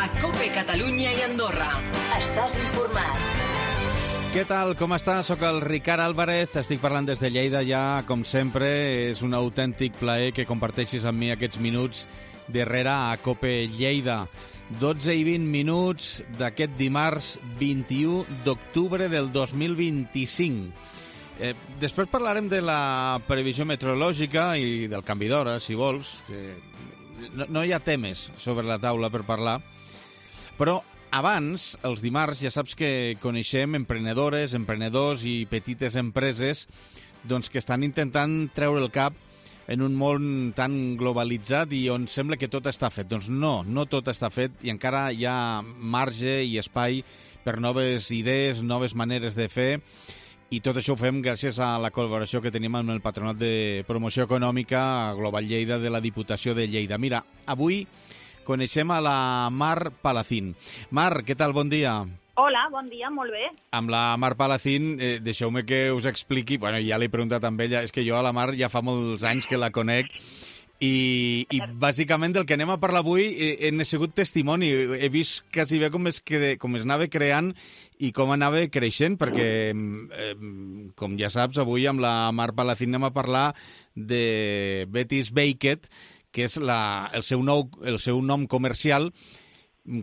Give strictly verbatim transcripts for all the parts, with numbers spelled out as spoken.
a COPE Catalunya i Andorra. Estàs informat. Què tal? Com estàs? Soc el Ricard Álvarez, estic parlant des de Lleida ja, com sempre. És un autèntic plaer que comparteixis amb mi aquests minuts darrere a COPE Lleida. dotze i vint minuts d'aquest dimarts vint-i-u d'octubre del dos mil vint-i-cinc. Eh, després parlarem de la previsió meteorològica i del canvi d'hora, si vols. Que no, no hi ha temes sobre la taula per parlar, però abans, els dimarts, ja saps que coneixem emprenedores, emprenedors i petites empreses doncs, que estan intentant treure el cap en un món tan globalitzat i on sembla que tot està fet. Doncs no, no tot està fet i encara hi ha marge i espai per noves idees, noves maneres de fer, i tot això ho fem gràcies a la col·laboració que tenim amb el Patronat de Promoció Econòmica Global Lleida de la Diputació de Lleida. Mira, avui coneixem a la Mar Palacín. Mar, què tal? Bon dia. Hola, bon dia, molt bé. Amb la Mar Palacín, eh, deixeu-me que us expliqui, bueno, ja l'he preguntat amb ella, és que jo a la Mar ja fa molts anys que la conec, i, i bàsicament del que anem a parlar avui eh, he sigut testimoni. He vist quasi bé com es, cre... com es anava creant i com anava creixent, perquè, eh, com ja saps, avui amb la Mar Palacín anem a parlar de Betty's Baked, que és la, el, seu nou, el seu nom comercial,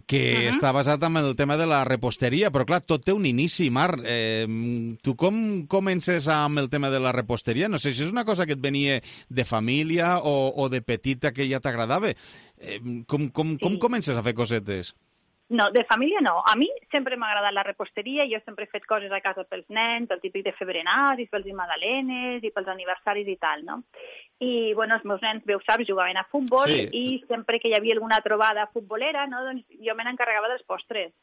que uh-huh. està basat en el tema de la reposteria, però clar, tot té un inici, Mar. Eh, tu com comences amb el tema de la reposteria? No sé si és una cosa que et venia de família o, o de petita que ja t'agradava. Eh, com, com, sí. com comences a fer cosetes? No, de família no. A mi sempre m'ha agradat la reposteria, jo sempre he fet coses a casa pels nens, el típic de fer berenars, i pels magdalenes, i pels aniversaris i tal, no? I, bueno, els meus nens, bé ho saps, jugaven a futbol, sí. I sempre que hi havia alguna trobada futbolera, no, doncs jo me n'encarregava dels postres.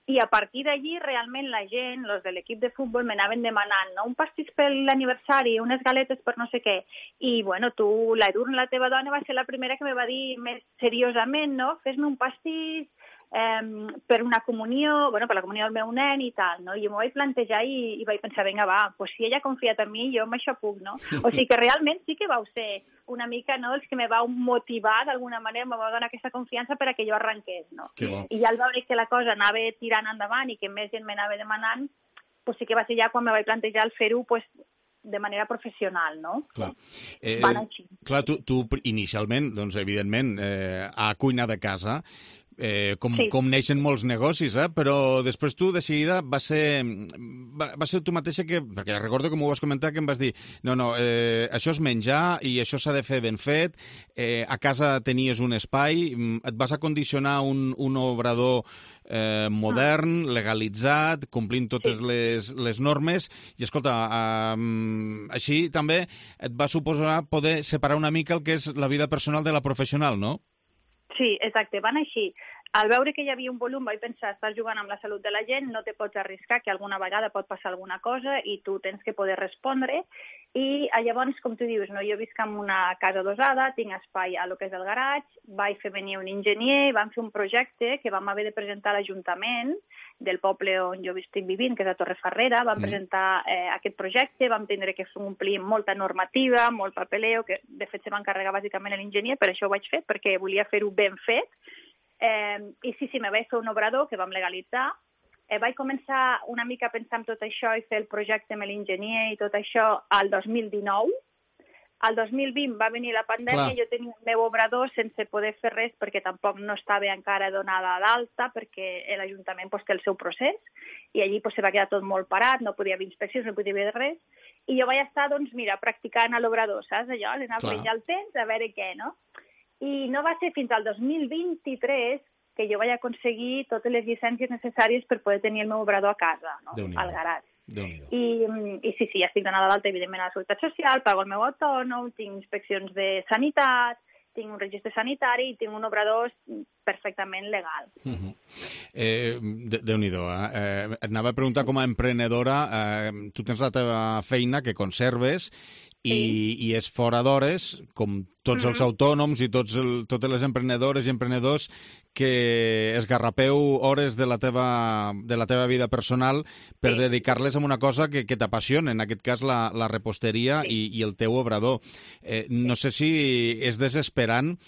I a partir d'allí, realment, la gent, els de l'equip de futbol, m'anaven demanant, no? Un pastís per l'aniversari, unes galetes per no sé què. I, bueno, tu, la Edurne, la teva dona, va ser la primera que me va dir més seriosament, no? Fes-me un pastís eh, per una comunió, bueno, per la comunió del meu nen i tal, no? I jo m'ho vaig plantejar i, i vaig pensar, vinga, va, pues si ella ha confiat en mi, jo amb això puc, no? O sigui que realment sí que vau ser una mica, no?, els que me vau motivar d'alguna manera, me vau donar aquesta confiança per a que jo arrenqués, no? Bon. I ja al veure que la cosa anava tirant endavant i que més gent m'anava demanant, pues sí que va ser ja quan me vaig plantejar el fer-ho, pues, de manera professional, no? Clar, eh, Van així. Clar, tu, tu inicialment, doncs, evidentment, eh, a cuina de casa, Eh, com, sí. com neixen molts negocis, eh? Però després tu, de seguida, va ser, va, va ser tu mateixa que... Perquè recordo que m'ho vas comentar, que em vas dir no, no, eh, això és menjar i això s'ha de fer ben fet, eh, a casa tenies un espai, et vas acondicionar un, un obrador eh, modern, ah. legalitzat, complint totes sí. les, les normes, i escolta, eh, així també et va suposar poder separar una mica el que és la vida personal de la professional, no? Sí, exacte, van així. Al veure que hi havia un volum vaig pensar, estàs jugant amb la salut de la gent, no te pots arriscar, que alguna vegada pot passar alguna cosa i tu tens que poder respondre. I llavors, com tu dius, no, jo visc en una casa adosada, tinc espai a lo que és el garatge, vaig fer venir un enginyer, vam fer un projecte que vam haver de presentar a l'Ajuntament del poble on jo estic vivint, que és a Torrefarrera. Vam mm. presentar eh, aquest projecte, vam tindre que omplir molta normativa, molt papeleo, que de fet se va encarregar bàsicament l'enginyer, per això ho vaig fer, perquè volia fer-ho ben fet. Eh, I sí, sí, me vaig fer un obrador que vam legalitzar. Eh, vaig començar una mica a pensar en tot això i fer el projecte amb l'enginyer i tot això al dos mil dinou. Al dos mil vint va venir la pandèmia, Clar. Jo tenia el meu obrador sense poder fer res perquè tampoc no estava encara donada d'alta, perquè l'Ajuntament pues, té el seu procés i allí pues, se va quedar tot molt parat, no podia haver inspeccions, no podia haver res. I jo vaig estar, doncs, mira, practicant a l'obrador, saps? Allò, l'anar fent ja el temps, a veure què, no? I no va ser fins al dos mil vint-i-tres que jo vaig aconseguir totes les llicències necessàries per poder tenir el meu obrador a casa, no? Al garatge. I, I sí, sí, ja estic donada d'alta, evidentment, a la Seguretat Social, pago el meu autònom, tinc inspeccions de sanitat, tinc un registre sanitari i tinc un obrador perfectament legal. Uh-huh. eh, Déu-n'hi-do, eh? eh? Et anava a preguntar com a emprenedora, eh, tu tens la teva feina que conserves i, sí. i és fora d'hores, com tots mm-hmm. els autònoms i tots el, totes les emprenedores i emprenedors que esgarrapeu hores de la teva, de la teva vida personal per sí. dedicar-les a una cosa que, que t'apassiona, en aquest cas la, la reposteria sí. i, i el teu obrador. Eh, no sé si és desesperant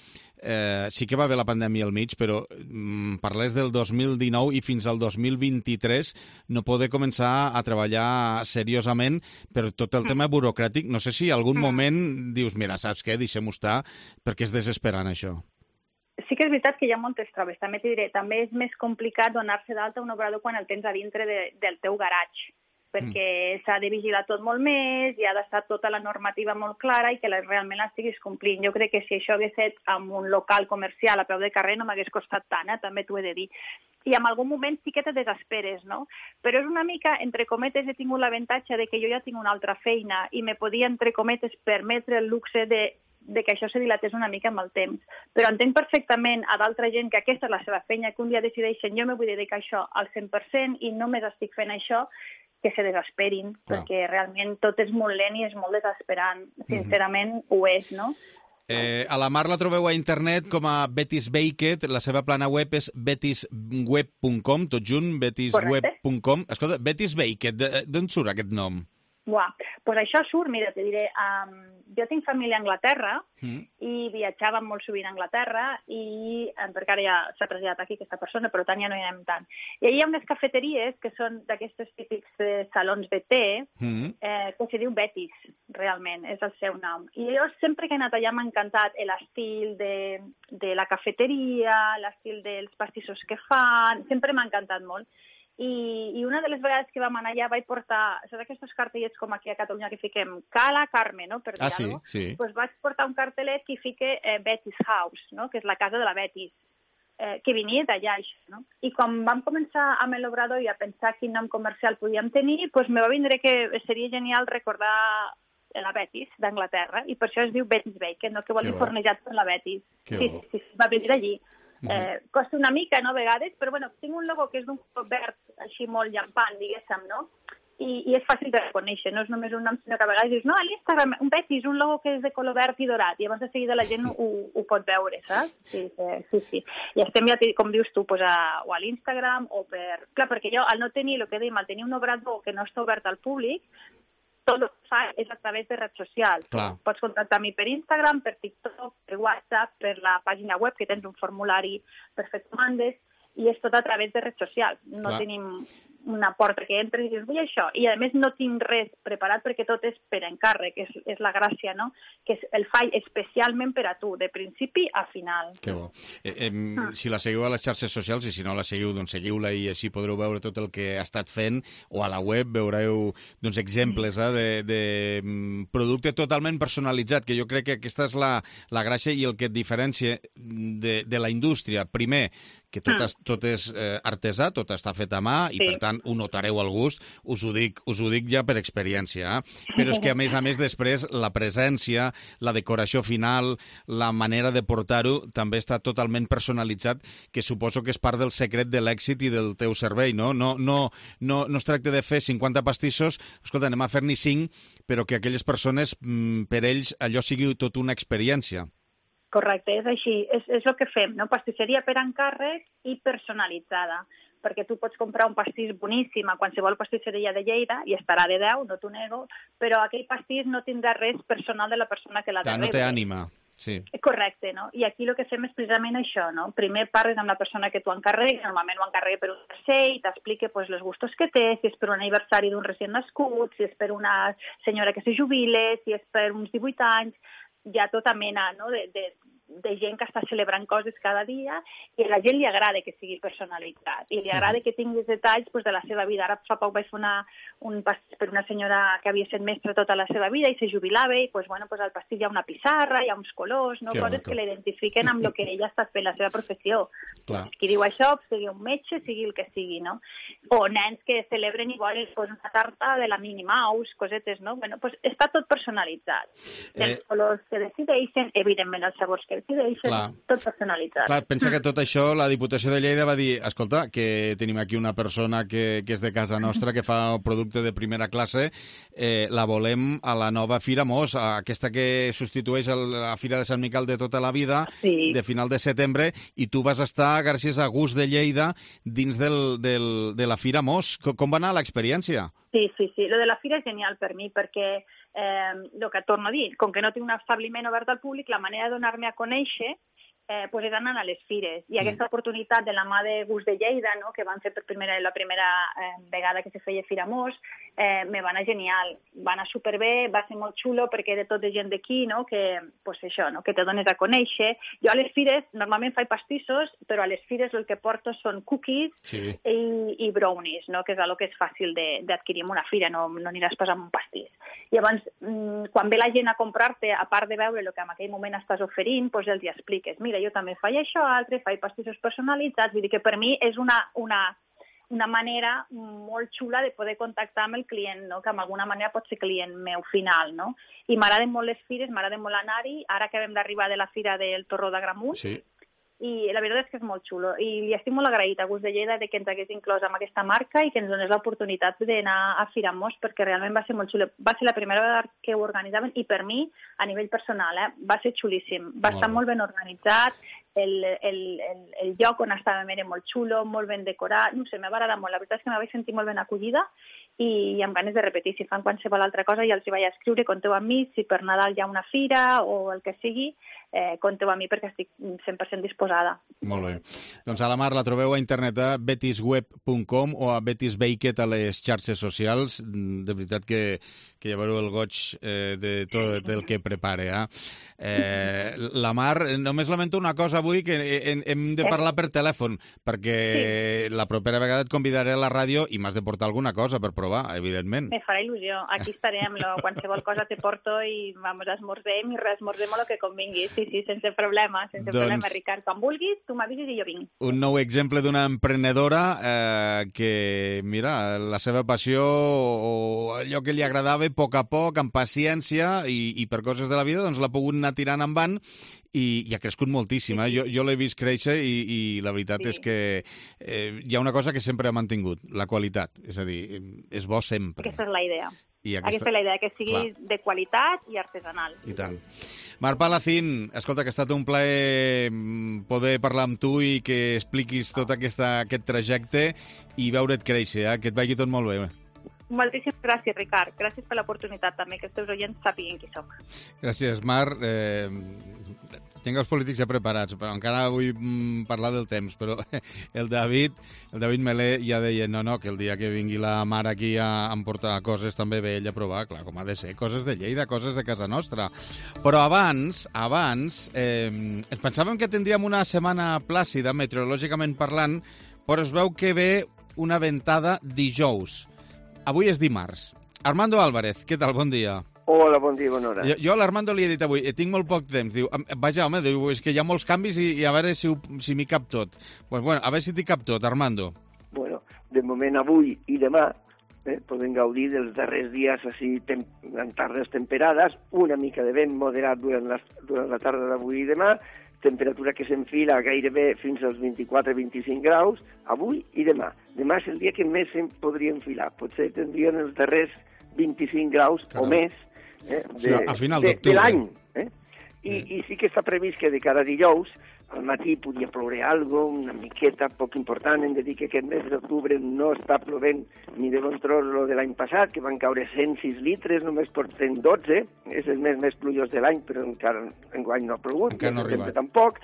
eh, sí que va haver la pandèmia al mig, però mm, parles del dos mil dinou i fins al dos mil vint-i-tres no poder començar a treballar seriosament per tot el tema burocràtic. No sé si en algun moment dius, mira, saps què, deixem-ho estar, perquè és desesperant això. Sí que és veritat que hi ha moltes traves. També t'hi diré, també és més complicat donar-se d'alta un obrador quan el tens a dintre de, del teu garatge, perquè mm. s'ha de vigilar tot molt més, hi ha d'estar tota la normativa molt clara i que la, realment l'estiguis complint. Jo crec que si això hagués fet amb un local comercial a peu de carrer no m'hagués costat tant, eh? També t'ho he de dir. I en algun moment sí que te desesperes, no? Però és una mica, entre cometes, he tingut l'avantatge de que jo ja tinc una altra feina i me podia, entre cometes, permetre el luxe de de que això se dilatés una mica amb el temps. Però entenc perfectament a d'altra gent que aquesta és la seva feina, que un dia decideixen jo me vull dedicar a això al cent per cent i només estic fent això, que se desesperin, Clar. perquè realment tot és molt lent i és molt desesperant. Sincerament, mm-hmm. ho és, no? Eh, a la Mar la trobeu a internet com a Betis Baked, la seva plana web és betis web punt com, tot junt, betis web punt com. Escolta, Betis Baked, d'on surt aquest nom? Buah, doncs això surt, mira, te diré, um, jo tinc família a Anglaterra mm. i viatjàvem molt sovint a Anglaterra i, um, perquè ara ja s'ha traslladat aquí aquesta persona, però tant ja no hi anem tant. I allà hi ha unes cafeteries que són d'aquestes típics eh, salons de té, mm. eh, que se diu Betis, realment, és el seu nom. I jo sempre que he anat allà m'ha encantat l'estil de, de la cafeteria, l'estil dels pastissos que fan, sempre m'ha encantat molt. I, i una de les vegades que vam anar allà vaig portar, saps aquests cartellets com aquí a Catalunya que fiquem Cala Carme, no?, per dir ah, sí, alguna cosa? Sí. Pues vaig portar un cartellet que fique eh, Betis House, no?, que és la casa de la Betis, eh, que venia d'allà, això, no? I quan vam començar amb l'obrador i a pensar quin nom comercial podíem tenir, pues me va vindre que seria genial recordar la Betis d'Anglaterra, i per això es diu Betis Baked, no?, que vol dir fornejat per la Betis. Que sí, sí, sí, va venir d'allí. Eh, costa una mica, no, a vegades, però bueno, tinc un logo que és d'un color verd així molt llampant, diguéssim, no? I, i és fàcil de reconèixer, no és només un nom, sinó que a vegades dius, no, a l'Instagram, un Betis, un logo que és de color verd i dorat, i abans de seguida la gent ho, ho pot veure, saps? Sí, sí, sí. I estem ja, com dius tu, pues a, o a l'Instagram, o per... Clar, perquè jo, al no tenir, el que dèiem, al tenir un obrador que no està obert al públic, tot el que fa és a través de redes socials. Clar. Pots contactar amb mi per Instagram, per TikTok, per WhatsApp, per la pàgina web, que tens un formulari per fer comandes, i és tot a través de redes socials. No Clar. tenim una porta que entres i dius, vull això. I a més no tinc res preparat perquè tot és per encàrrec, és, és la gràcia, no? Que el faig especialment per a tu, de principi a final. Que bo. Eh, eh, ah. Si la seguiu a les xarxes socials, i si no la seguiu, doncs seguiu-la i així podreu veure tot el que ha estat fent, o a la web veureu doncs, exemples eh, de, de producte totalment personalitzat, que jo crec que aquesta és la, la gràcia i el que et diferencia de, de la indústria. Primer, que tot, es, tot és eh, artesà, tot està fet a mà i, sí. per tant, ho notareu al gust. Us ho dic, us ho dic ja per experiència. Eh? Però és que, a més a més, després, la presència, la decoració final, la manera de portar-ho, també està totalment personalitzat, que suposo que és part del secret de l'èxit i del teu servei, no? No, no, no, no es tracta de fer cinquanta pastissos, escolta, anem a fer-n'hi cinc, però que aquelles persones, per ells, allò sigui tot una experiència. Correcte, és així, és, és el que fem, no? Pastisseria per encàrrec i personalitzada, perquè tu pots comprar un pastís boníssim a qualsevol pastisseria de Lleida i estarà de deu, no t'ho nego, però aquell pastís no tindrà res personal de la persona que l'ha de rebre. No té ànima. Sí. Correcte, no? I aquí el que fem és precisament això, no? Primer parles amb la persona que t'ho encarrega, normalment ho encarrega per un tercer i t'explica pues, els gustos que té, si és per un aniversari d'un recient nascut, si és per una senyora que se jubile, si és per uns divuit anys, hi ha tota mena, no? de, de, de gent que està celebrant coses cada dia i a la gent li agrada que sigui personalitzat i li agrada que tinguis detalls pues, de la seva vida. Ara fa poc vaig fer una, un pastís per una senyora que havia estat mestra tota la seva vida i se jubilava i pues, bueno, pues, al pastís hi ha una pissarra, hi ha uns colors, no? Coses que l'identifiquen amb el que ella està fent, la seva professió. Clar. Qui diu això, sigui un metge, sigui el que sigui, no? O nens que celebren i volen pues, una tarta de la Minnie Mouse, cosetes, no? Bueno, pues, està tot personalitzat. Eh... Els colors que decideixen, evidentment els sabors que decideixen, clar. Tot personalitzat. Clar, pensa que tot això, la Diputació de Lleida va dir, escolta, que tenim aquí una persona que, que és de casa nostra, que fa un producte de primera classe, eh, la volem a la nova Fira Mos, aquesta que substitueix la Fira de Sant Miquel de tota la vida, sí. de final de setembre, i tu vas estar, gràcies a Gust de Lleida, dins del, del, de la Fira Mos. Com, com va anar l'experiència? Sí, sí, sí. Lo de la fira és genial per mi perquè, eh, el que torno a dir, com que no tinc un establiment obert al públic, la manera de donar-me a conèixer eh, pues és anant a les fires. I aquesta mm. oportunitat de la mà de Gust de Lleida, no?, que van fer per primera, la primera eh, vegada que se feia Fira Mos, eh, me va anar genial. Va anar superbé, va ser molt xulo perquè de tota gent d'aquí, no?, que, pues això, no?, que te dones a conèixer. Jo a les fires normalment faig pastissos, però a les fires el que porto són cookies sí. i, i brownies, no?, que és el que és fàcil d'adquirir en una fira, no, no aniràs pas amb un pastís. Llavors, quan ve la gent a comprar-te, a part de veure el que en aquell moment estàs oferint, doncs els hi expliques, mira, jo també faig això, altre, faig pastissos personalitzats, vull dir que per mi és una, una, una manera molt xula de poder contactar amb el client, no?, que d'alguna manera pot ser client meu final, no? I m'agraden molt les fires, m'agrada molt anar-hi, ara acabem d'arribar de la fira del Torró d'Agramunt, sí. i la veritat és que és molt xulo. I li estic molt agraït a Gust de Lleida de que ens hagués inclòs amb aquesta marca i que ens donés l'oportunitat d'anar a Fira Mos, perquè realment va ser molt xulo. Va ser la primera vegada que ho organitzaven i per mi, a nivell personal, eh, va ser xulíssim. Va molt estar molt ben organitzat, el, el, el, el lloc on estàvem era molt xulo, molt ben decorat, no sé, m'ha agradat molt. La veritat és que me vaig sentir molt ben acollida i, i amb ganes de repetir. Si fan qualsevol altra cosa ja els hi vaig escriure, conteu amb mi, si per Nadal hi ha una fira o el que sigui, eh, conteu amb mi perquè estic cent per cent disposada. Molt bé. Doncs a la Mar la trobeu a internet a betisweb punt com o a betisbaked a les xarxes socials. De veritat que, que ja veureu el goig eh, de tot el que prepare. Eh? Eh, la Mar, només lamento una cosa avui, que hem, hem de parlar per telèfon, perquè sí. la propera vegada et convidaré a la ràdio i m'has de portar alguna cosa per provar, evidentment. Me farà il·lusió. Aquí estarem, lo, qualsevol cosa te porto i vamos, esmorzem i reesmorzem el que convingui. Sí, sí, sense problema, sense doncs... problema, Ricard. Quan vulguis, tu m'avisis i jo vinc. Un nou exemple d'una emprenedora eh, que, mira, la seva passió o allò que li agradava, a poc a poc, amb paciència i, i per coses de la vida, doncs l'ha pogut anar tirant endavant i, i ha crescut moltíssim. Eh? Jo, jo l'he vist créixer i, i la veritat sí. és que eh, hi ha una cosa que sempre ha mantingut, la qualitat. És a dir, és bo sempre. Aquesta és la idea. I aquesta... aquesta és la idea, que sigui Clar. de qualitat i artesanal. I tant. Mar Palacín, escolta, que ha estat un plaer poder parlar amb tu i que expliquis tot aquesta, aquest trajecte i veure't créixer, eh? Que et vagi tot molt bé. Moltíssimes gràcies, Ricard. Gràcies per l'oportunitat també, que els teus oients sàpiguen qui soc. Gràcies, Mar. Eh, tinc els polítics ja preparats, però encara vull mm, parlar del temps, però el David, el David Melé ja deia no, no, que el dia que vingui la Mar aquí a emportar coses també ve ell a provar, clar, com ha de ser, coses de Lleida, coses de casa nostra. Però abans, abans, eh, ens pensàvem que tindríem una setmana plàcida, meteorològicament parlant, però es veu que ve una ventada dijous. Avui és dimarts. Armando Álvarez, què tal? Bon dia. Hola, bon dia, bona hora. Jo, jo a l'Armando li he dit avui, tinc molt poc temps. Diu, vaja, home, diu, és que hi ha molts canvis i, i a veure si, si m'hi cap tot. Pues bueno, a veure si t'hi cap tot, Armando. Bueno, de moment avui i demà eh, podem gaudir dels darrers dies així tem en tardes temperades, una mica de vent moderat durant la, durant la tarda d'avui i demà, temperatura que s'enfila gairebé fins als vint-i-quatre a vint-i-cinc graus, avui i demà. Demà és el dia que més se'n podria enfilar. Potser tindrien els darrers vint-i-cinc graus Caram. o més eh, de, sí, a final de, de l'any. Eh? I, sí. I sí que està previst que de cada dijous al matí podia ploure algo, una miqueta poc important. Hem de dir que aquest mes d'octubre no està plovent ni de bon tros lo de l'any passat, que van caure cent sis litres, només porten dotze. És el mes més plujós de l'any, però encara enguany no ha plogut, encara no ha arribat. Tampoc.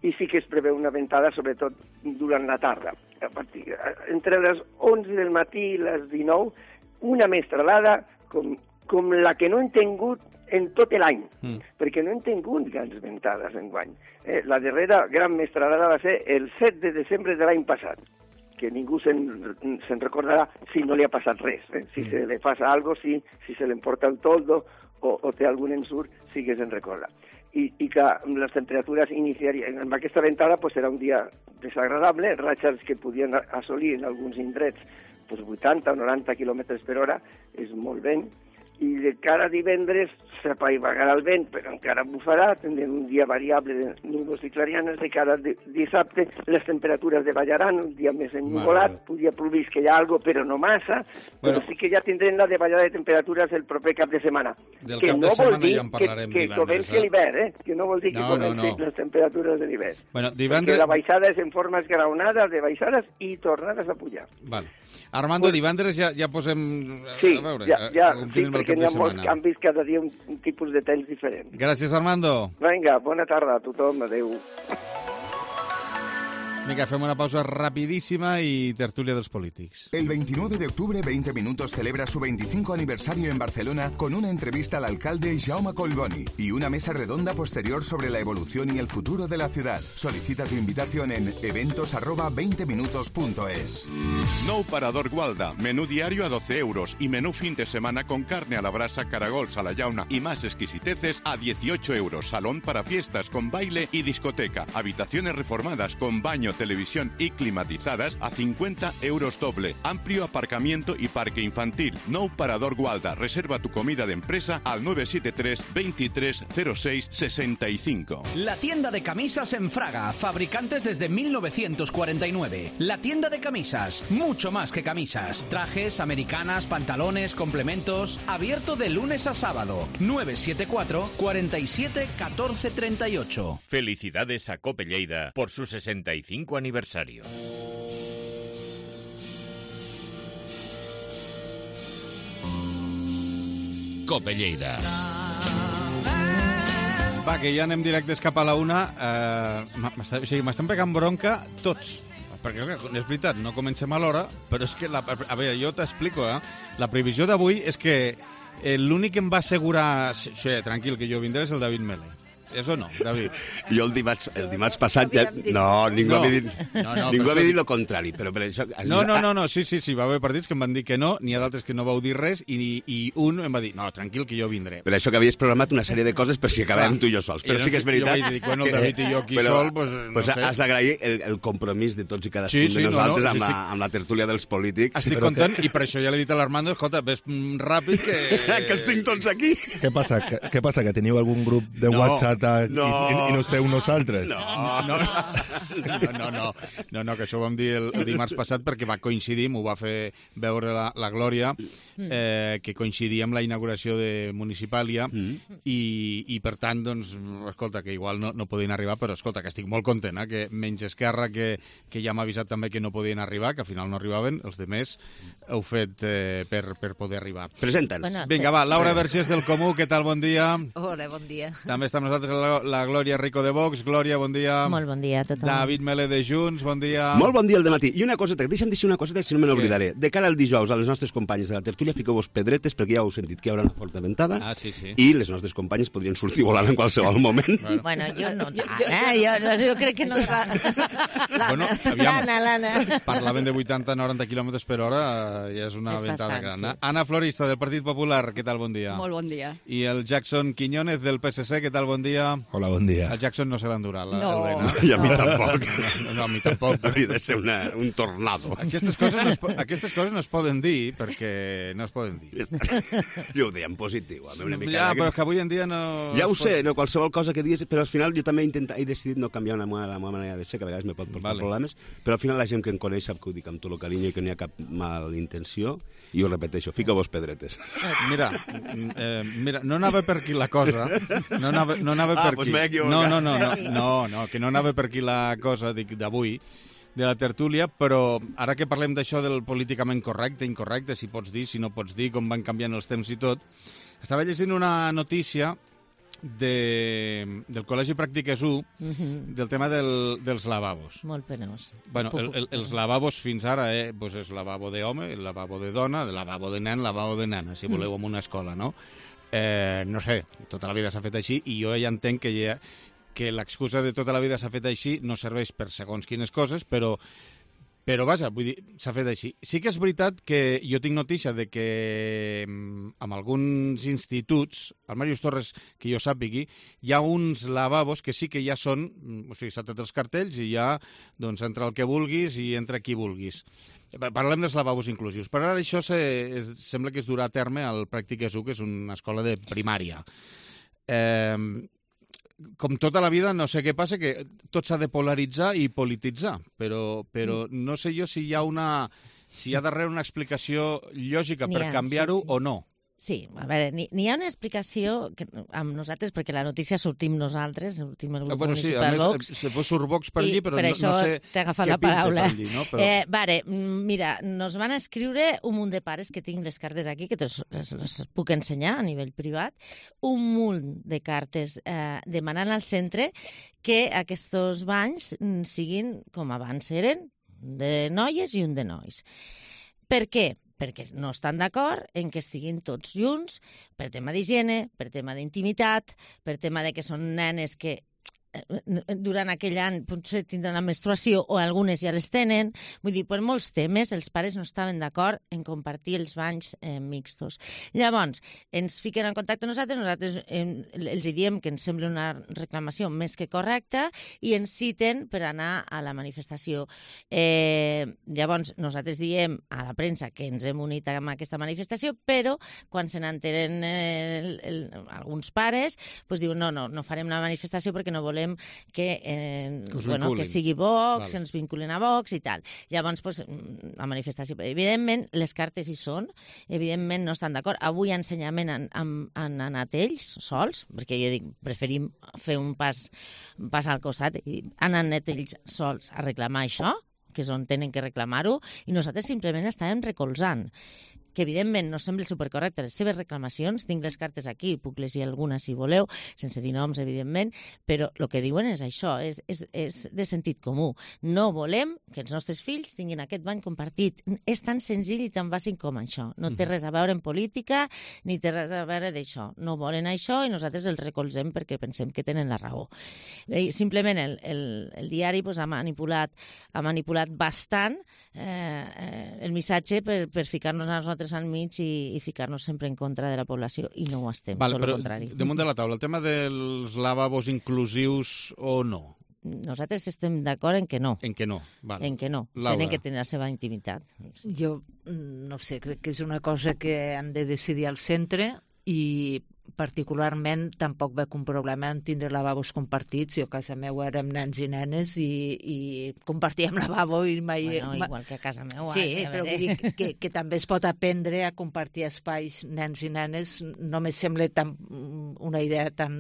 I sí que es preveu una ventada, sobretot durant la tarda. A partir, entre les onze del matí i les dinou, una mestralada com, com la que no hem tingut en tot l'any, mm. perquè no hem tingut grans ventades enguany. Eh, la darrera gran mestralada va ser el set de desembre de l'any passat, que ningú se'n se recordarà si no li ha passat res. Eh? Si mm. se li passa alguna cosa, si, si se li emporta el toldo o, o té algun ensurt, sí que se'n recorda. I, i que les temperatures iniciarien. Amb aquesta ventada pues, serà un dia desagradable, ratxes que podien assolir en alguns indrets pues, vuitanta o noranta quilòmetres per hora, és molt vent, i de cara a divendres s'apaivagarà el vent, però encara bufarà, tindrem un dia variable de núvols i clarianes. De cara a dissabte les temperatures davallaran, un dia més ennuvolat, podria ploviscar ja algo, però no massa, bueno, però sí que ja tindrem la davallada de temperatures el proper cap de setmana. Del que cap no de setmana vol ja en parlarem que, que comenci eh? l'hivern, eh? Que no vol dir que no, comenci no, no. les temperatures de l'hivern. Bueno, divendres... Perquè la baixada és en forma esgraonada, de baixades i tornades a pujar. Val. Armando, pues, divendres ja, ja posem... Sí, a veure, ja, ja, sí, el perquè cap hi de ha molts setmana. canvis, cada dia un, un tipus de temps diferent. Gràcies, Armando. Vinga, bona tarda a tothom, adeu. Vinga, fem una pausa rapidísima y tertulia de los polítics. El veintinueve de octubre, veinte Minutos celebra su veinticinco aniversario en Barcelona con una entrevista al alcalde Jaume Collboni y una mesa redonda posterior sobre la evolución y el futuro de la ciudad. Solicita tu invitación en eventos arroba veinte minutos punto es. Nou Parador Gualda, menú diario a doce euros y menú fin de semana con carne a la brasa, caragols a la llauna y más exquisiteces a dieciocho euros. Salón para fiestas con baile y discoteca. Habitaciones reformadas con baño, televisión y climatizadas a cincuenta euros doble. Amplio aparcamiento y parque infantil. Nou Parador Gualda. Reserva tu comida de empresa al nueve siete tres, veintitrés cero seis sesenta y cinco. La tienda de camisas en Fraga, fabricantes desde mil novecientos cuarenta y nueve. La tienda de camisas, mucho más que camisas. Trajes, americanas, pantalones, complementos. Abierto de lunes a sábado. nueve siete cuatro, cuarenta y siete, catorce treinta y ocho. Felicidades a Cope Lleida por su sesenta y cinco aniversario. Cope Lleida. Va, que ja anem directes cap a la una. Eh, m'està- o sigui, m'estan pegant bronca tots. Perquè, clar, és veritat, no comencem a l'hora, però és que, la, a veure, jo t'explico, eh? La previsió d'avui és que eh, l'únic que em va assegurar, sí, sí, tranquil, que jo vindré és el David Mele. Eso no, David. Jo el dimarts, el dimarts passat... Ja, no, ningú No. havia dit, No, no, ningú però havia això- dit el contrari, però per això... No, no, no, no, sí, sí, sí, va haver partits que em van dir que no, n'hi ha d'altres que no vau dir res, i, i un em va dir, no, tranquil, que jo vindré. Per això que havies programat una sèrie de coses per si acabàvem Clar. tu i jo sols. I Però no sí que sé, és veritat... jo vaig dir, bueno, el que- David i jo aquí però- sol, pues, no pues sé. has d'agrair el, el compromís de tots i cadascun Sí, sí, de no, no, nosaltres amb, estic- la, amb la tertúlia dels polítics. Estic content, i per això ja l'he dit a l'Armando, escolta, ves mm, ràpid que... que els tinc tots aquí. Què passa? Què, què passa? Que teniu algun grup de No, WhatsApp a, no. i, i, i no esteu nosaltres? No, No, no, no, no, no, no, no, que això ho vam dir el, el dimarts passat perquè va coincidir, m'ho va fer veure la, la Glòria, eh, que coincidia amb la inauguració de Municipàlia Mm. i, i per tant, doncs, escolta, que igual no, no podien arribar, però escolta, que estic molt content, eh, que menys Esquerra, que, que ja m'ha avisat també que no podien arribar, que al final no arribaven, els demés heu fet eh, per, per poder arribar. Presenta'ns. Bueno, Vinga, va, Laura Vergés del Comú, què tal, bon dia? Hola, bon dia. També està amb nosaltres la, la Glòria Rico de Vox. Glòria, bon dia. Molt bon dia a tothom. David Mele de Junts, bon dia. Molt bon dia al dematí. I una coseta, deixa'm dir una coseta, si no me Què? n'oblidaré. De cara al dijous, a les nostres companyes de la tertúlia, fiqueu-vos pedretes, perquè ja heu sentit que hi haurà una forta ventada, Ah, sí, sí. i les nostres companyes podrien sortir volant en qualsevol moment. Bueno. Bueno, jo no tant, eh? Jo, jo crec que no... L'Anna, Bueno, aviam. l'Anna, l'Anna. Parlaven de vuitanta a noranta quilòmetres per hora, eh, ja és una És ventada bastant, gran. sí. Anna Florista, del Partit Popular, què tal, bon dia? Molt bon dia. I el Jackson Quiñones, del P S C, què tal, bon dia? Hola, bon dia. El Jackson no se l'endurà, la- No. el vent, eh? I a mi tampoc. No, no, a mi tampoc. Hauria de ser una, un tornado. Aquestes coses, no es, po- aquestes coses no es poden dir, perquè no es poden dir. Jo ho deia en positiu. A mi una mica Ja, de- però és que avui en dia no... Ja ho es pot- sé, no, qualsevol cosa que diguis, però al final jo també he, intentat, he decidit no canviar la meva, la meva manera de ser, que a vegades me pot portar Vale. problemes, però al final la gent que em coneix sap que ho dic amb tot el carinyo i que no hi ha cap mal intenció, i ho repeteixo, fica-vos pedretes. Mira, mm, eh, mira, no anava per aquí la cosa, no anava, no anava Ah, per doncs aquí. m'he equivocat. No, no, no, no, no, no, que no anava per aquí la cosa dic, d'avui, de la tertúlia, però ara que parlem d'això del políticament correcte, incorrecte, si pots dir, si no pots dir, com van canviant els temps i tot, estava llegint una notícia de, del Col·legi Pràctiques u, Mhm. del tema del, dels lavabos. Molt penós. Bueno, el, el, els lavabos fins ara eh, pues és lavabo d'home, el lavabo de dona, el lavabo de nen, lavabo de nena, si voleu, en una escola, no? Eh, no sé, tota la vida s'ha fet així i jo ja entenc que, ja, que l'excusa de tota la vida s'ha fet així no serveix per segons quines coses, però però, vaja, vull dir, s'ha fet així. Sí que és veritat que jo tinc notícia de que mm, en alguns instituts, al Màrius Torres, que jo sàpigui, hi ha uns lavabos que sí que ja són, mm, o sigui, s'ha tret els cartells i ja, doncs, entra el que vulguis i entra qui vulguis. Parlem dels lavabos inclusius. Però ara això se, es, sembla que es durà a terme al Pràctiques u, que és una escola de primària. Eh, com tota la vida, no sé què passa, que tot s'ha de polaritzar i polititzar, però, però no sé jo si hi ha una si hi ha darrere una explicació lògica N'hi per ha, canviar-ho sí, sí. o no. Sí, a veure, n'hi ha una explicació que, amb nosaltres, perquè la notícia sortim nosaltres, sortim el grup bueno, sí, municipal més, Vox. Se pot surt Vox per allí, però per no, això no sé t'he agafat què la paraula. pinta per allí, no? Però... Eh, vale, mira, nos van escriure un munt de pares, que tinc les cartes aquí, que les, les, les puc ensenyar a nivell privat, un munt de cartes eh, demanant al centre que aquests banys siguin com abans eren, de noies i un de nois. Per què? Perquè no estan d'acord en que estiguin tots junts per tema d'higiene, per tema d'intimitat, per tema de que són nenes que durant aquell any potser tindran la menstruació o algunes ja les tenen. Vull dir, per molts temes els pares no estaven d'acord en compartir els banys eh, mixtos. Llavors, ens fiquen en contacte nosaltres, nosaltres eh, els diem que ens sembla una reclamació més que correcta i ens citen per anar a la manifestació. Eh, llavors, nosaltres diem a la premsa que ens hem unit amb aquesta manifestació, però quan se n'enteren eh, alguns pares, pues diuen no, no, no farem la manifestació perquè no volem que, eh, que, bueno, que sigui Vox, que ens vinculen a Vox i tal. Llavors, pues, la manifestació... Evidentment, les cartes hi són, evidentment no estan d'acord. Avui ensenyament han, han, han anat ells sols, perquè jo dic, preferim fer un pas, un pas al costat, i han anat ells sols a reclamar això, que és on tenen que reclamar-ho, i nosaltres simplement estàvem recolzant. Que evidentment no sembla supercorrecte les seves reclamacions, tinc les cartes aquí, puc llegir alguna si voleu, sense dir noms, evidentment, però el que diuen és això, és, és, és de sentit comú. No volem que els nostres fills tinguin aquest bany compartit. És tan senzill i tan bàsic com això. No té res a veure en política, ni té res a veure d'això. No volen això i nosaltres els recolzem perquè pensem que tenen la raó. Bé, simplement el, el, el diari pues, ha manipulat, ha manipulat bastant eh, eh, el missatge per, per ficar-nos a nosaltres al mig i, i ficar-nos sempre en contra de la població, i no ho estem, vale, tot el contrari. Damunt de la taula, el tema dels lavabos inclusius o no? Nosaltres estem d'acord en que no. En que no, vale. En que no. Laura. Tenen que tenir la seva intimitat. Jo no sé, crec que és una cosa que han de decidir al centre i particularment tampoc veig un problema en tindre lavabos compartits. Jo a casa meu érem nens i nenes i, i compartíem lavabo i mai... Bueno, igual que a casa meu. Sí, sí però vull dir que, que també es pot aprendre a compartir espais nens i nenes. No me sembla tan, una idea tan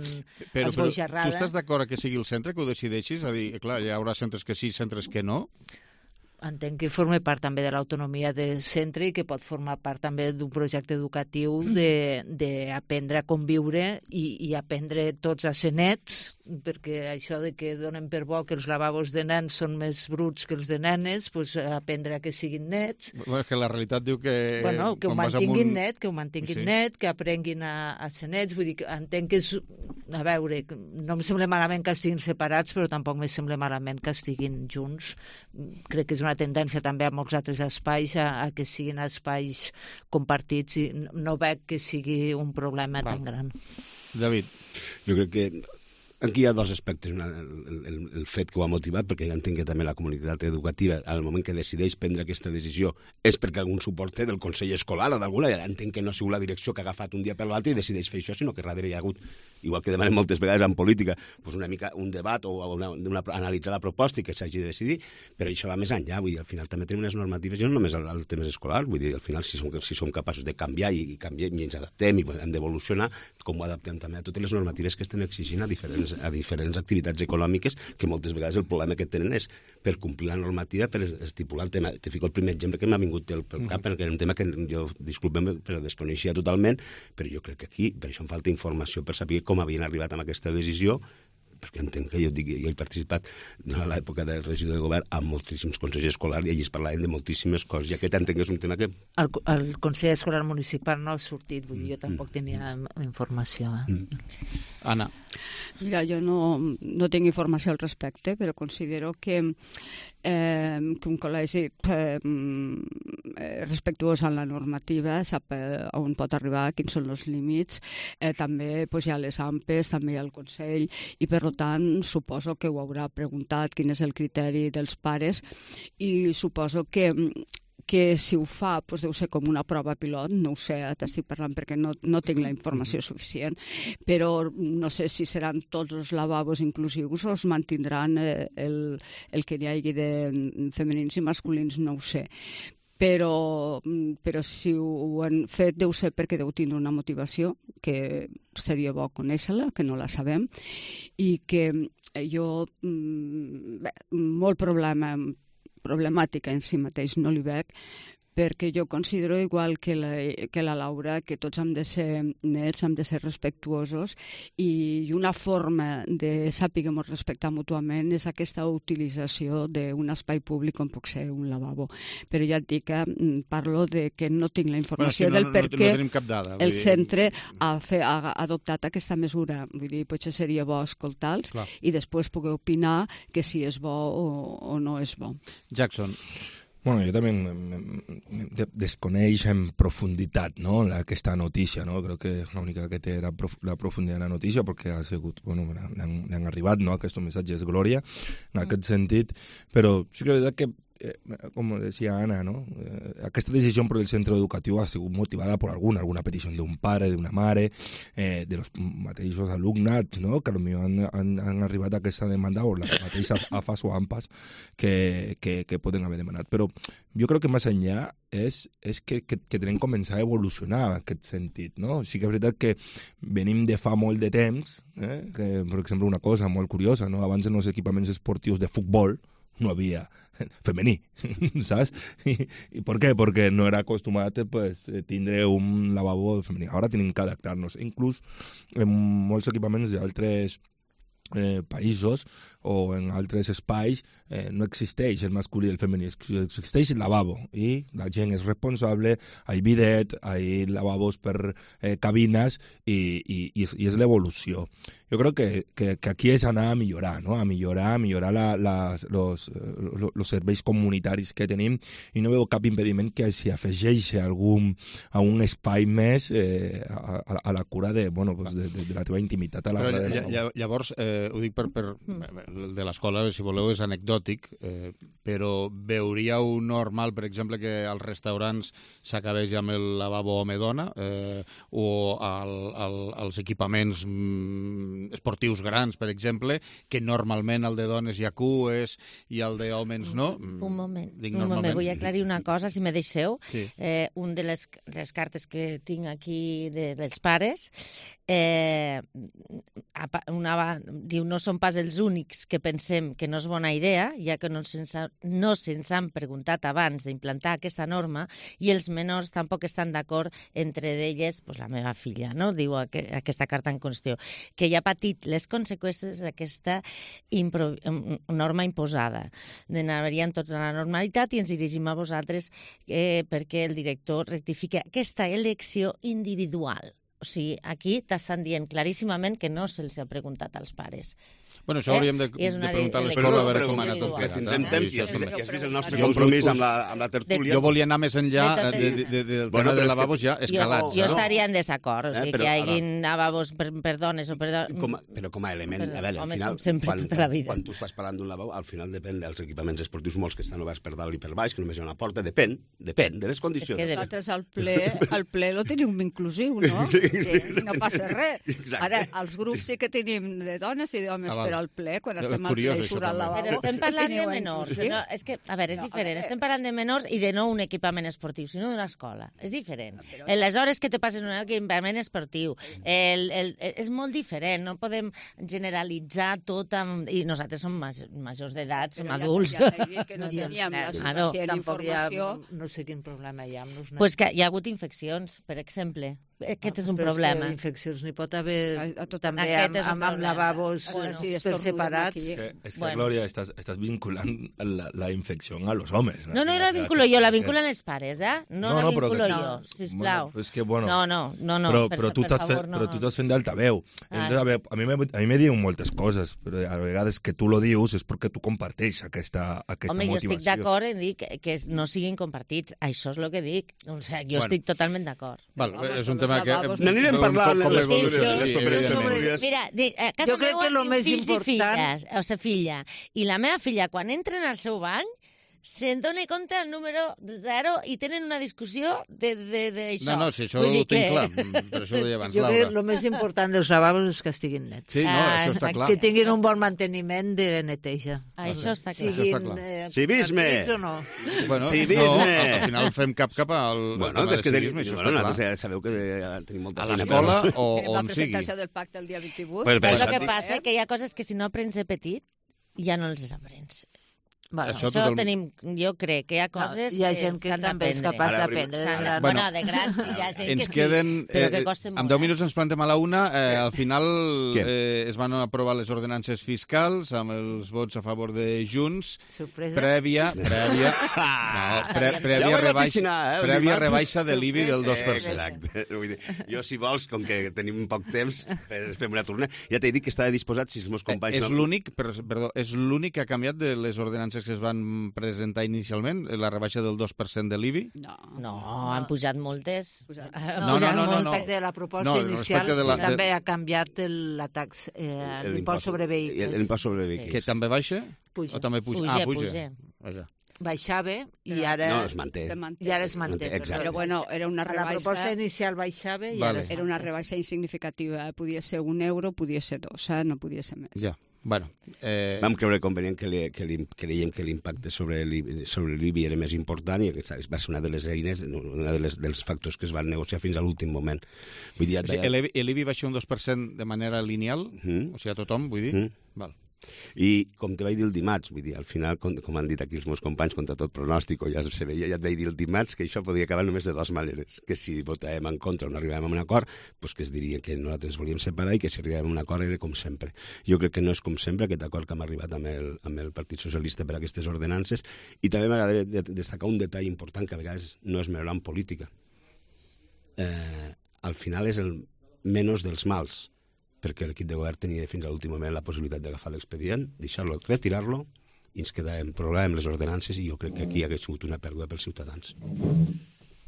però, esbojarrada. Però tu estàs d'acord que sigui el centre que ho decideixis? A dir, clar, hi haurà centres que sí, centres que no? Entenc que forma part també de l'autonomia del centre i que pot formar part també d'un projecte educatiu d'aprendre a conviure i, i aprendre tots a ser nets, perquè això de que donen per bo que els lavabos de nens són més bruts que els de nenes, pues, aprendre a que siguin nets. Bueno, és que la realitat diu que... Bueno, que ho mantinguin un... net, que ho mantinguin sí. net, que aprenguin a, a ser nets. Vull dir que entenc que és... A veure, no em sembla malament que estiguin separats, però tampoc me sembla malament que estiguin junts. Crec que és una tendència també a molts altres espais a, a que siguin espais compartits i no veig que sigui un problema Val. tan gran. David. Jo crec que aquí hi ha dos aspectes. Una, el, el, el fet que ho ha motivat, perquè entenc que també la comunitat educativa, al moment que decideix prendre aquesta decisió, és perquè algun suport té del Consell Escolar o d'alguna, entenc que no ha sigut la direcció que ha agafat un dia per l'altre i decideix fer això, sinó que darrere hi ha hagut, igual que demanem moltes vegades en política, doncs una mica un debat o una, una, analitzar la proposta i que s'hagi de decidir, però això va més enllà. Vull dir, al final també tenim unes normatives, i no només als temes escolars, vull dir, al final si som, si som capaços de canviar i, i canviem i ens adaptem i hem d'evolucionar, com ho adaptem també a totes les normatives que estem exigint a diferents, a diferents activitats econòmiques, que moltes vegades el problema que tenen és per complir la normativa, per estipular el tema. Te fico el primer exemple que m'ha vingut pel, pel cap, perquè és un tema que jo, disculpem, però desconeixia totalment, però jo crec que aquí, per això em falta informació per saber com havien arribat amb aquesta decisió, perquè entenc que jo, dic, jo he participat a l'època de regidor de govern amb moltíssims consells escolars i allí es parlaven de moltíssimes coses, i aquest entenc que és un tema que... El, el Consell Escolar Municipal no ha sortit, vull dir, jo tampoc tenia informació. Eh? Mm. Anna. Mira, jo no, no tinc informació al respecte, però considero que, eh, que un col·legi eh, respectuós amb la normativa sap eh, on pot arribar, quins són els límits, eh, també pues, hi ha les A M P Es, també hi ha el Consell, i per tant suposo que ho haurà preguntat quin és el criteri dels pares, i suposo que que si ho fa doncs deu ser com una prova pilot, no ho sé, t'estic parlant perquè no, no tinc la informació suficient, però no sé si seran tots els lavabos inclusius o es mantindran eh, el, el que hi hagi de femenins i masculins, no ho sé. però, però si ho han fet deu ser perquè deu tindre una motivació, que seria bo conèixer-la, que no la sabem, i que jo bé, molt problema, problemàtica en si mateix no li veig, perquè jo considero igual que la, que la Laura que tots hem de ser nets, hem de ser respectuosos, i una forma de saber-nos respectar mútuament és aquesta utilització d'un espai públic com pot ser un lavabo. Però ja et dic que parlo de que no tinc la informació bueno, sí, no, del per què no, no dada, el dir... centre ha, fe, ha adoptat aquesta mesura. Vull dir, potser seria bo escoltar-los i després poder opinar que si és bo o, o no és bo. Jackson. Bueno, jo també desconeix en profunditat, ¿no?, aquesta notícia, ¿no? Crec que l'única que té la, prof la profunditat de la notícia, perquè ha sigut, bueno, n'han arribat, no?, aquests missatges glòria, en aquest sentit, però sí que és veritat que Eh, com decía Ana, ¿no? Eh, aquesta decisió per el centre educatiu ha sigut motivada per alguna, alguna petició d'un pare, d'una mare, eh, de los mateixos alumnats, ¿no?, que potser han, han, han arribat a aquesta demanda, o les mateixes AFAS o AMPAs que, que, que poden haver demanat. Però jo crec que més enllà és, és que, que, que tenim que començar a evolucionar en aquest sentit, no? Sí que és veritat que venim de fa molt de temps, eh? Que, per exemple, una cosa molt curiosa, no? Abans en els equipaments esportius de futbol no havia femení, saps? I, i per què? Perquè no era acostumat pues, tindre un lavabo femení. Ara tenim que adaptar-nos. Inclús en molts equipaments d'altres eh, països o en altres espais eh, no existeix el masculí i el femení, existeix el lavabo i la gent és responsable, hi ha bidet, hi ha lavabos per eh, cabines i, i, i és, i és l'evolució. Jo crec que, que, que aquí és anar a millorar, no? A millorar, a millorar la, la, los, los, los serveis comunitaris que tenim, i no veu cap impediment que s'hi afegeixi algun, a un espai més eh, a, a la cura de, bueno, pues de, de, de la teva intimitat. A la Però, de la... Llavors, eh, ho dic per, per el de l'escola, si voleu, és anecdòtic, eh, però veuríeu normal, per exemple, que als restaurants s'acabés amb el lavabo home-dona eh, o al, al, als equipaments mm, esportius grans, per exemple, que normalment el de dones hi ha cues i el d'homes no? Un moment, Dic un moment, vull normalment. aclarir una cosa, si me deixeu. Sí. Eh, un de les, les cartes que tinc aquí de, dels pares eh, una, diu, no són pas els únics que pensem que no és bona idea, ja que no se'ns no se han preguntat abans d'implantar aquesta norma, i els menors tampoc estan d'acord, entre d'elles pues, la meva filla, no? Diu aqu aquesta carta en qüestió, que ja ha patit les conseqüències d'aquesta norma imposada. N'anaríem tots a la normalitat i ens dirigim a vosaltres eh, perquè el director rectifica aquesta elecció individual. O sigui, aquí t'estan dient claríssimament que no se'ls ha preguntat als pares. Bueno, això hauríem de, de preguntar a l'escola a veure com ha anat tot plegat. Tindrem temps i has vist el nostre compromís amb la, amb la tertúlia. Jo volia anar més enllà de, de, de, del tema de lavabos ja escalats. Jo, jo estaria en desacord, o sigui, que hi hagi lavabos per, per dones o per dones... Però com a element, a veure, al final, quan, quan tu estàs parlant d'un lavabo, al final depèn dels equipaments esportius molts que estan oberts per dalt i per baix, que només hi ha una porta, depèn, depèn de les condicions. Nosaltres al ple, al ple lo tenim inclusiu, no? Sí, sí. No passa res. Ara, els grups sí que tenim de dones i d'homes, però al ple, quan estem al ple i surt al lavabo... Però estem parlant de menors. No, és que, a veure, és diferent. Estem parlant de menors i de no un equipament esportiu, sinó d'una escola. És diferent. Les hores que te passen en un equipament esportiu. El, el, és molt diferent. No podem generalitzar tot amb... I nosaltres som majors d'edat, som adults. Que no teníem la suficient informació. No sé quin problema hi ha amb els nens. Pues que hi ha hagut infeccions, per exemple. Aquest és un problema. Però infeccions n'hi pot haver també amb lavabos per separats. És que, Glòria, estàs, estàs vinculant la, la infecció a los homes. No, no la vinculo jo, la vinculen els pares, eh? No, no la vinculo jo, sisplau. És que, bueno... No, no, no, no, però, però tu per favor, no. Però tu t'has fent d'altaveu. A mi me diuen moltes coses, però a vegades que tu lo dius és perquè tu comparteix aquesta, aquesta Home, motivació. Home, jo estic d'acord en dir que, que no siguin compartits. Això és el que dic. O sigui, jo bueno. estic totalment d'acord. Val, és un tema que... N'anirem parlant en les properes. Mira, a casa meva tinc fills i filles, o sigui, filla, i la meva filla, quan entren al seu bany, se'n dona compte el número zero i tenen una discussió d'això. No, no, si això ho tinc que... clar, per això ho deia abans, jo Laura. crec que el més important dels lavabos és que estiguin nets. Sí, no, ah, això està clar. Que tinguin un bon manteniment de neteja. Ah, això està clar. Siguin eh, civisme! o no. Bueno, civisme! No, al final fem cap cap al bueno, tema de que civisme, això bueno, està clar. Sabeu que tenim molta a l'escola o la on sigui. presentació del pacte el dia vint-i-vuit. Pues, Saps el que passa? Que hi ha coses que si no aprens de petit ja no les aprens. Bueno, això això tothom... tenim, jo crec que hi ha coses no, hi ha gent que, que també és capaç d'aprendre. De gran. Bueno, de grans sí, hi ha gent ens que queden, sí, però que eh, costen molt. En deu minuts ens plantem a la una. Eh, al final eh, es van aprovar les ordenances fiscals amb els vots a favor de Junts. Sorpresa. Prèvia, prèvia, no, pre, prèvia, ja rebaixa, eh, prèvia rebaixa de l'I B I del dos per cent. Exacte. Vull dir, jo, si vols, com que tenim poc temps, fem una tornada. Ja t'he dit que estava disposat, si els meus companys... És no... l'únic, perdó, és l'únic que ha canviat de les ordenances que es van presentar inicialment, la rebaixa del dos per cent de l'I B I? No, no, han pujat moltes. Pujat. No, no, no, no, no, no. Respecte de la proposta no, inicial, de la, també de... ha canviat el, la tax, eh, l'impost sobre vehicles. L'impost sobre vehicles. Que també baixa? Puja. O també puja? Puja, ah, puja. puja. puja. Baixava i ara... No, es manté. I ara es manté. Exacte. Però bueno, era una rebaixa... La proposta inicial baixava i vale. ara es Era una rebaixa insignificativa. Podia ser un euro, podia ser dos, eh? No podia ser més. Ja. Bueno, eh... Vam creure convenient que, li, que li, creiem que l'impacte sobre l'I B I era més important i aquesta va ser una de les eines, una de les, dels factors que es van negociar fins a l'últim moment. Vull dir, o sigui, l'I B I baixa un dos per cent de manera lineal? Mm. O sigui, a tothom, vull dir? Mm. Val. I com te vaig dir el dimarts, vull dir, al final, com, com han dit aquí els meus companys, contra tot pronòstic, ja se veia, ja et vaig dir el dimarts que això podia acabar només de dues maneres, que si votàvem en contra o no arribàvem a un acord, pues que es diria que nosaltres ens volíem separar i que si arribàvem a un acord era com sempre. Jo crec que no és com sempre aquest acord que hem arribat amb el, amb el Partit Socialista per a aquestes ordenances, i també m'agradaria destacar un detall important que a vegades no és menor en política. Eh, al final és el menys dels mals, perquè l'equip de govern tenia fins a l'últim moment la possibilitat d'agafar l'expedient, deixar-lo, retirar-lo, i ens quedàvem problemes amb les ordenances, i jo crec que aquí hagués sigut una pèrdua pels ciutadans.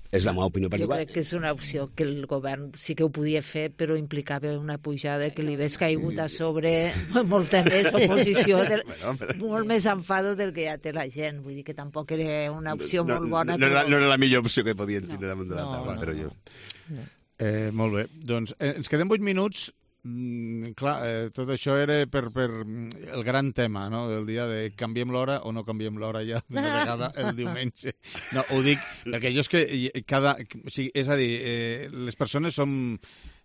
És la meva opinió particular. Jo crec que és una opció que el govern sí que ho podia fer, però implicava una pujada que li hagués caigut a sobre molta més oposició, del, bueno, però... molt més enfado del que ja té la gent. Vull dir que tampoc era una opció no, molt bona. No, no, però... no era la millor opció que podien tindre no. damunt de la taula, no, però jo... No. Eh, molt bé. Doncs eh, ens quedem vuit minuts. Mm, clar, eh, tot això era per, per el gran tema, no?, del dia de canviem l'hora o no canviem l'hora ja d'una vegada el diumenge. No, ho dic perquè jo és que cada... O sigui, és a dir, eh, les persones som,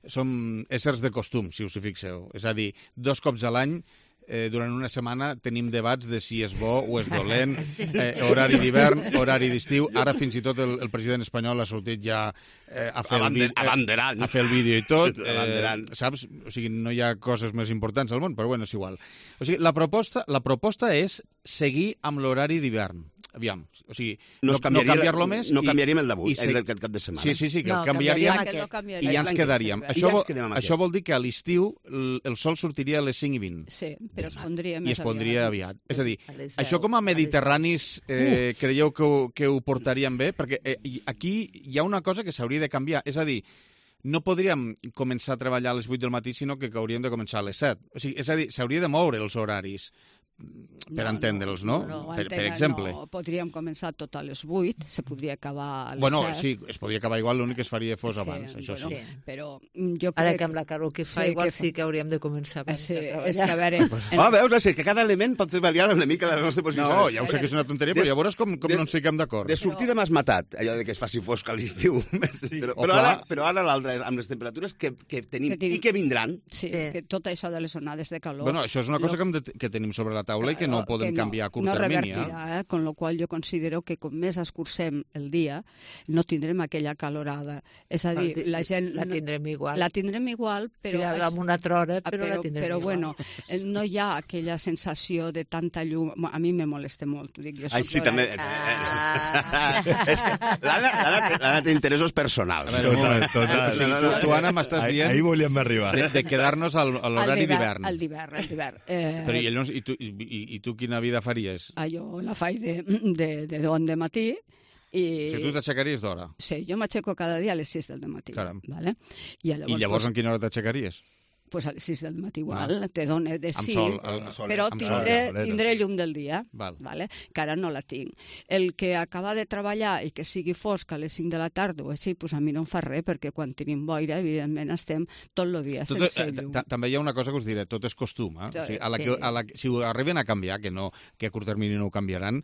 som éssers de costum, si us hi fixeu. És a dir, dos cops a l'any Eh, durant una setmana tenim debats de si és bo o és dolent, eh, horari d'hivern, horari d'estiu. Ara fins i tot el, el president espanyol ha sortit ja eh, a, fer Abander, el, eh, a fer el vídeo i tot. Eh, saps? O sigui, no hi ha coses més importants al món, però bueno, és igual. O sigui, la proposta, la proposta és seguir amb l'horari d'hivern. Aviam, o sigui, no, no, no canviar-lo més... No canviaríem el d'avui, el d'aquest cap de setmana. Sí, sí, sí, que no, el canviaríem, canviaríem i ja ens quedaríem. Això, vol, això vol dir que a l'estiu el sol sortiria a les cinc i vint. Sí, però es pondria més I es pondria aviat. aviat. És a dir, a això com a mediterranis eh, creieu que ho, que ho portaríem bé? Perquè eh, aquí hi ha una cosa que s'hauria de canviar. És a dir, no podríem començar a treballar a les vuit del matí, sinó que hauríem de començar a les set. O sigui, és a dir, s'hauria de moure els horaris per no, entendre'ls, no? no? no per, per exemple. No, podríem començar tot a les vuit, se podria acabar a les bueno, set. Sí, es podria acabar igual, l'únic que es faria fos sí, abans, això bueno, sí. Però jo crec... Ara que amb la calor que fa, sí, igual que fa... sí que hauríem de començar abans sí, de treballar. És que a veure... En... Oh, veus, és que cada element pot fer variar una mica la nostra posició. No, ja ho sé que és una tonteria, però ja veuràs com, com de, no ens fiquem d'acord. De sortida m'has matat, allò de que es faci fosc a l'estiu. Sí, però, però, ara, però ara l'altre, amb les temperatures que, que tenim que tenim... i que vindran... Sí, sí, que tot això de les onades de calor... Bueno, això és una cosa lo... que, hem de, que tenim sobre la taula i que no podem no, canviar a curt no termini. Eh? Con lo qual jo considero que com més escurcem el dia, no tindrem aquella calorada. És a dir, la gent... La tindrem igual. La tindrem igual, però... Sí, amb una altra hora, però, però la tindrem però, igual. Però, bueno, no hi ha aquella sensació de tanta llum... A mi me molesta molt, dic jo. Ai, sí, també... Ah. És que l'Anna té interessos personals. A veure, un moment, total. O sigui, tu, tu, Anna, m'estàs dient... Ahí volíem arribar. De, de quedar-nos a l'horari d'hivern. Al d'hivern, al d'hivern. Eh... Però i, llavors, i, tu, i, i tu quina vida faries? Ah, jo la faig de, de, de don de matí. I... Si tu t'aixecaries d'hora? Sí, jo m'aixeco cada dia a les sis del matí. Caram. Vale? I llavors, I llavors pues... en quina hora t'aixecaries? pues a les sis del matí igual, ah. te dona de sí, sol, el, sol, però tindré, sol, tindré llum del dia, Val. vale? Que ara no la tinc. El que acaba de treballar i que sigui fosc a les cinc de la tarda o així, pues a mi no em fa res, perquè quan tenim boira, evidentment, estem tot el dia tot, sense llum. També hi ha una cosa que us diré, tot és costum. Eh? O sigui, a la que, a la, si ho arriben a canviar, que, no, que a curt termini no ho canviaran,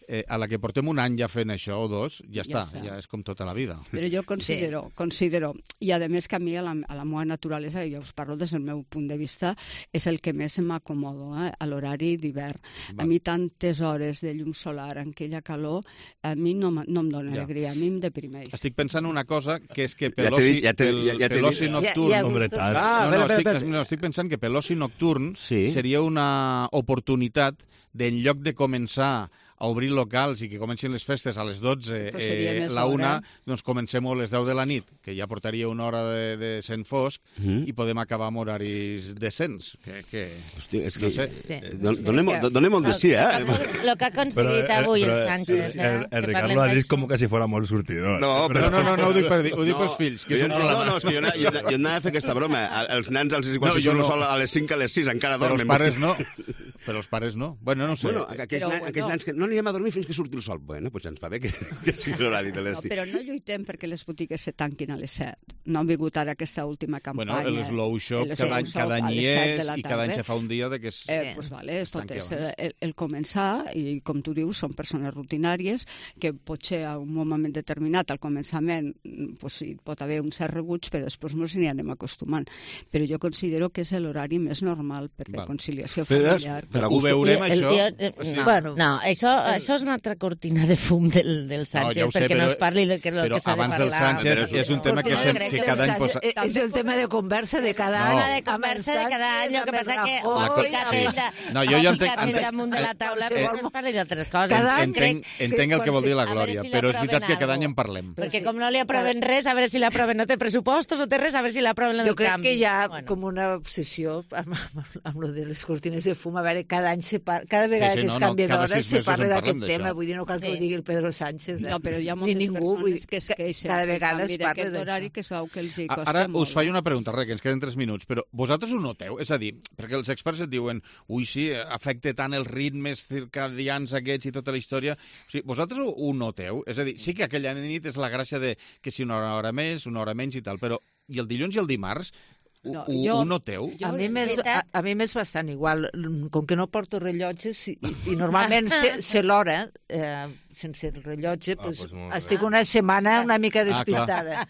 Eh, a la que portem un any ja fent això, o dos, ja, ja està, està, ja és com tota la vida. Però jo considero, sí. considero, i a més que a mi a la, a la meva naturalesa, i ja us parlo des del meu punt de vista, és el que més m'acomodo, eh, a l'horari d'hivern. A mi tantes hores de llum solar en aquella calor, a mi no, no em dona ja. alegria, a mi em deprimeix. Estic pensant una cosa, que és que per l'oci ja pel, ja, ja l'oci nocturn... Ja, ja, ja ah, no, no, estic, no, estic pensant que per l'oci nocturn sí. seria una oportunitat d'en lloc de començar a obrir locals i que comencin les festes a les dotze, eh, la una, doncs comencem a les deu de la nit, que ja portaria una hora de, de sent fosc, mm. i podem acabar amb horaris decents. Que, que, Hosti, és que... No sé. Sí. Donem, donem molt de sí, eh? El que ha aconseguit avui el Sánchez. El, el Ricardo ha dit com que si fora molt sortidor. No, però no, no, no ho dic, per, ho dic no, pels fills, que és un problema. No, no, és que jo, jo, jo anava a fer aquesta broma. Els nens als igual no, si són no. sol a les cinc, a les sis, encara dormen. Però els pares no. Però els pares no. Bueno, no sé. Bueno, aquells, però, aquells no. nens que no anirem a dormir fins que surti el sol. Bueno, doncs ens va bé que, que sigui l'horari de les sis. No, però no lluitem perquè les botigues se tanquin a les set. No han vingut ara aquesta última campanya. Bueno, el Slow Shop cada any, cada any hi és i cada any se fa un dia de que es... Eh, pues vale, es tot és el, el començar, i com tu dius, són persones rutinàries que potser a un moment determinat, al començament, pues sí, pot haver un cert rebuig, però després ens hi anem acostumant. Però jo considero que és l'horari més normal per la conciliació familiar. Però ho veurem, això? No, bueno. no això, això és una altra cortina de fum del, del Sánchez, no, ja sé, perquè però, no es parli del que, que s'ha de parlar. Però abans del Sánchez és un tema que, sem, que cada any posa... És el tema de conversa de cada any. No. de conversa de cada any, el que passa que ho ha ficat ell no, jo ja entenc, entenc, damunt de la taula, però no es parli d'altres coses. Entenc, entenc el que vol dir la Glòria, però és veritat que cada any en parlem. Perquè com no li aproven res, a veure si l'aproven, no té pressupostos, no té res, a veure si l'aproven el canvi. Jo crec que hi ha com una obsessió amb lo de les cortines de fum, a veure, cada any se parla, cada vegada que es canvia d'hora se parla d'aquest tema, vull dir, no cal que ho digui el Pedro Sánchez, no, però hi ha moltes persones que es queixen cada vegada es parla d'horari que es veu que els hi costa Ara molt. us faig una pregunta, res, que ens queden tres minuts, però vosaltres ho noteu? És a dir, perquè els experts et diuen ui, sí, afecta tant els ritmes circadians aquests i tota la història. O sigui, vosaltres ho, ho noteu? És a dir, sí que aquella nit és la gràcia de que si una hora més, una hora menys i tal, però i el dilluns i el dimarts No, ho, jo, ho noteu? Jo, a, mi m'és, a, a mi m'és bastant igual. Com que no porto rellotges i, i, i normalment sé, sé l'hora eh, sense el rellotge, ah, pues, pues estic una setmana una mica despistada. Ah,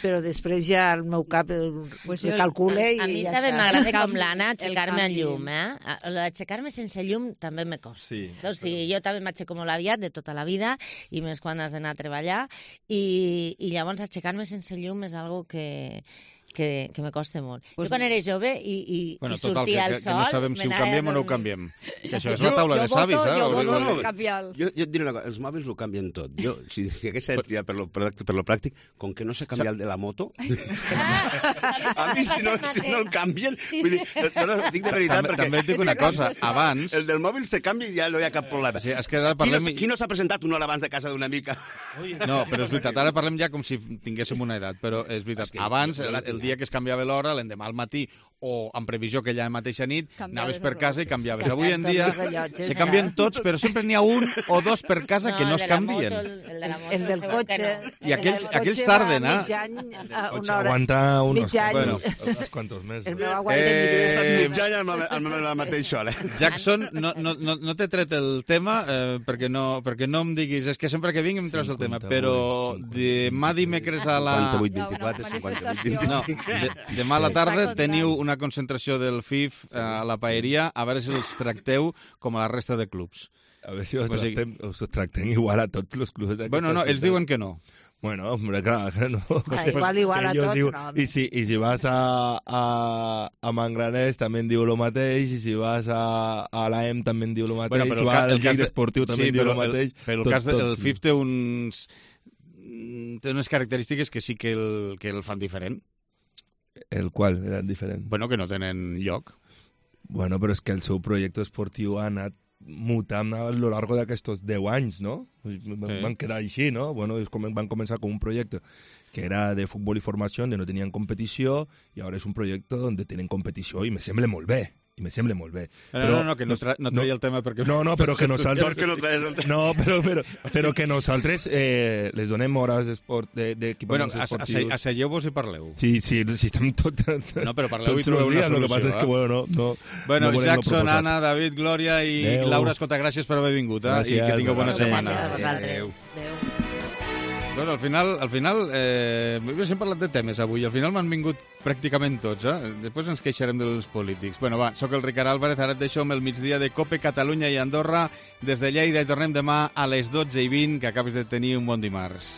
però després ja el meu cap el, pues el calcula i a, a mi ja també m'agrada com l'Anna aixecar-me en llum. Eh? Aixecar-me sense llum també me costa. Sí, o sigui, jo també m'aixeco molt aviat de tota la vida i més quan has d'anar a treballar i, i llavors aixecar-me sense llum és algo que... que, que me costa molt. Pues jo quan era jove i, i, bueno, i sortia el sol... Que no sabem si ho canviem o no ho canviem. Que això és la taula de savis, eh? Jo voto, jo canviar. Jo, jo et diré una cosa, els mòbils ho canvien tot. Jo, si, si hagués de triar per lo, per, per lo pràctic, com que no sé canviar el de la moto, a mi si no, si no el canvien... Vull dir, no, no, dic de veritat, també, perquè... També et dic una cosa, abans... El del mòbil se canvia i ja no hi ha cap problema. Sí, és que ara parlem... Qui no, qui no s'ha presentat una hora abans de casa d'una mica? No, però és veritat, ara parlem ja com si tinguéssim una edat, però és veritat, abans, el, el dia que es canviava l'hora, l'endemà al matí o en previsió que aquella mateixa nit anaves per casa i canviaves. Avui en dia se canvien tots, però sempre n'hi ha un o dos per casa que no es canvien. El del cotxe. I aquells, aquells tarden, eh? El cotxe aguanta unos quantos mesos. El meu aguanta mig any amb la mateixa hora. Jackson, no, no, no, no t'he tret el tema eh, perquè, no, perquè no em diguis, és que sempre que vinc em treus el tema, però demà dimecres a la... cinquanta-vuit vint-i-quatre, cinquanta-vuit vint-i-cinc... No, demà a la tarda teniu una concentració del F I F a la paeria, a veure si els tracteu com a la resta de clubs. A veure si els tractem, els tractem igual a tots els clubs. Bueno, no, ells diuen que no. Bueno, hombre, clar, no. Ah, igual, igual a tots, diu, no. I si, i si vas a, a, a Mangranès també en diu el mateix, i si vas a, a l'A E M també en diu el mateix, bueno, o al Lleida Esportiu també sí, en diu el mateix. Però el, tot, cas del F I F té uns... té unes característiques que sí que el, que el fan diferent. El qual era diferent? Bueno, que no tenen lloc. Bueno, però és que el seu projecte esportiu ha anat mutant a lo largo d'aquests deu anys, no? Van, van quedar així, no? Bueno, és com, van començar com un projecte que era de futbol i formació, on no tenien competició, i ara és un projecte on tenen competició, i me sembla molt bé. I me sembla molt bé. Però, no, no, no, que no, tra no traia el tema perquè... No, no, però que nosaltres... Que no, el no, però, però, però que nosaltres eh, les donem hores d'equipaments bueno, esportius. Bueno, asseieu-vos i parleu. Sí, sí, si estem tot... No, però parleu i trobeu una solució. Lo que passa és que, bueno, no... no bueno, no Jackson, Anna, David, Glòria i Adeu. Laura, escolta, gràcies per haver vingut, eh? Gràcies, i que tingueu bona gràcies setmana. Gràcies a vosaltres. Adéu. Adéu. Doncs al final, al final eh, hem parlat de temes avui, al final m'han vingut pràcticament tots, eh? Després ens queixarem dels polítics. Bueno, va, sóc el Ricard Álvarez, ara et deixo amb el migdia de Cope Catalunya i Andorra. Des de Lleida i tornem demà a les dotze i vint, que acabes de tenir un bon dimarts.